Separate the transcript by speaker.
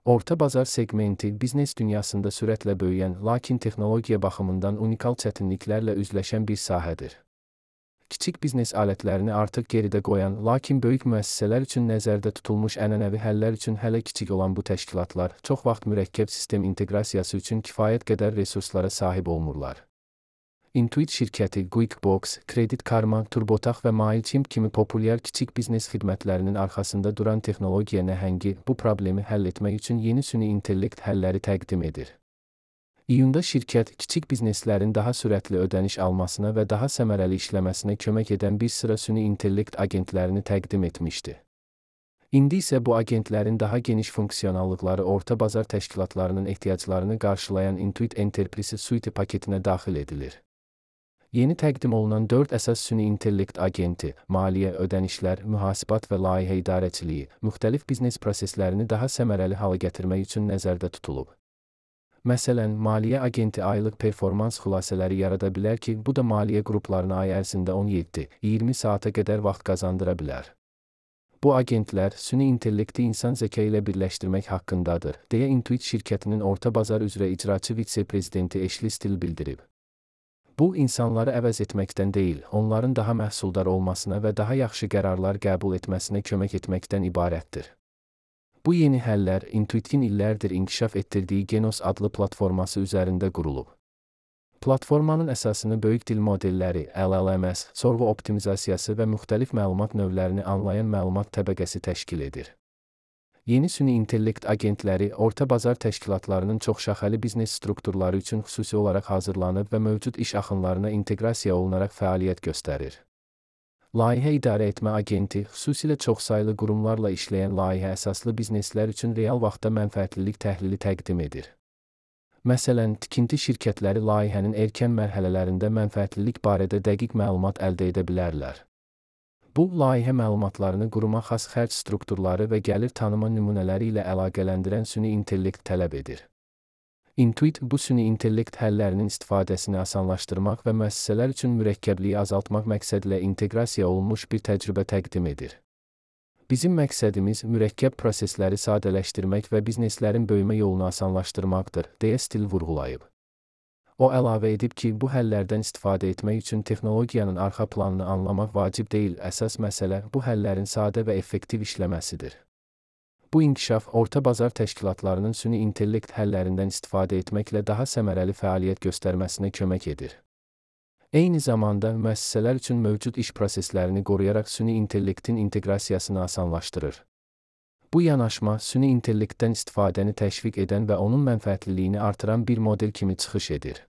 Speaker 1: Orta bazar segmenti, biznes dünyasında sürətlə böyüyən, lakin texnologiya baxımından unikal çətinliklərlə üzləşən bir sahədir. Kiçik biznes alətlərini artıq geridə qoyan, lakin böyük müəssisələr üçün nəzərdə tutulmuş ənənəvi həllər üçün hələ kiçik olan bu təşkilatlar, çox vaxt mürəkkəb sistem inteqrasiyası üçün kifayət qədər resurslara sahib olmurlar. Intuit şirkəti QuickBooks, Credit Karma, TurboTax və MailChimp kimi populyar kiçik biznes xidmətlərinin arxasında duran texnologiya nəhəngi bu problemi həll etmək üçün yeni süni intellekt həlləri təqdim edir. İyunda şirkət, kiçik bizneslərin daha sürətli ödəniş almasına və daha səmərəli işləməsinə kömək edən bir sıra süni intellekt agentlərini təqdim etmişdi. İndi isə bu agentlərin daha geniş funksionallıqları orta bazar təşkilatlarının ehtiyaclarını qarşılayan Intuit Enterprise Suite paketinə daxil edilir. Yeni təqdim olunan 4 əsas süni intellekt agenti, maliyyə, ödənişlər, mühasibat və layihə idarəçiliyi, müxtəlif biznes proseslərini daha səmərəli hala gətirmək üçün nəzərdə tutulub. Məsələn, maliyyə agenti aylıq performans xülasələri yarada bilər ki, bu da maliyyə qruplarına ay ərzində 17-20 saata qədər vaxt qazandıra bilər. Bu agentlər, süni intellekti insan zəka ilə birləşdirmək haqqındadır, deyə Intuit şirkətinin orta bazar üzrə icraçı vitse-prezidenti Ashley Still bildirib. Bu, insanları əvəz etməkdən deyil, onların daha məhsuldar olmasına və daha yaxşı qərarlar qəbul etməsinə kömək etməkdən ibarətdir. Bu yeni həllər, Intuit'in illərdir inkişaf etdirdiyi Genos adlı platforması üzərində qurulub. Platformanın əsasını böyük dil modelləri, LLMs, sorğu optimizasiyası və müxtəlif məlumat növlərini anlayan məlumat təbəqəsi təşkil edir. Yeni süni intellekt agentləri orta bazar təşkilatlarının çoxşaxəli biznes strukturları üçün xüsusi olaraq hazırlanıb və mövcud iş axınlarına inteqrasiya olunaraq fəaliyyət göstərir. Layihə idarə etmə agenti, xüsusilə çoxsaylı qurumlarla işləyən layihə əsaslı bizneslər üçün real vaxtda mənfəətlilik təhlili təqdim edir. Məsələn, tikinti şirkətləri layihənin erkən mərhələlərində mənfəətlilik barədə dəqiq məlumat əldə edə bilərlər. Bu, layihə məlumatlarını quruma xas xərc strukturları və gəlir tanıma nümunələri ilə əlaqələndirən süni intellekt tələb edir. Intuit bu süni intellekt həllərinin istifadəsini asanlaşdırmaq və müəssisələr üçün mürəkkəbliyi azaltmaq məqsədilə inteqrasiya olunmuş bir təcrübə təqdim edir. Bizim məqsədimiz mürəkkəb prosesləri sadələşdirmək və bizneslərin böyümə yolunu asanlaşdırmaqdır, deyə Still vurğulayıb. O əlavə edib ki, bu həllərdən istifadə etmək üçün texnologiyanın arxa planını anlamaq vacib deyil, əsas məsələ bu həllərin sadə və effektiv işləməsidir. Bu inkişaf, orta bazar təşkilatlarının süni intellekt həllərindən istifadə etməklə daha səmərəli fəaliyyət göstərməsinə kömək edir. Eyni zamanda, müəssisələr üçün mövcud iş proseslərini qoruyaraq süni intellektin inteqrasiyasını asanlaşdırır. Bu yanaşma, süni intellektdən istifadəni təşviq edən və onun mənfəətliliyini artıran bir model kimi çıxış edir.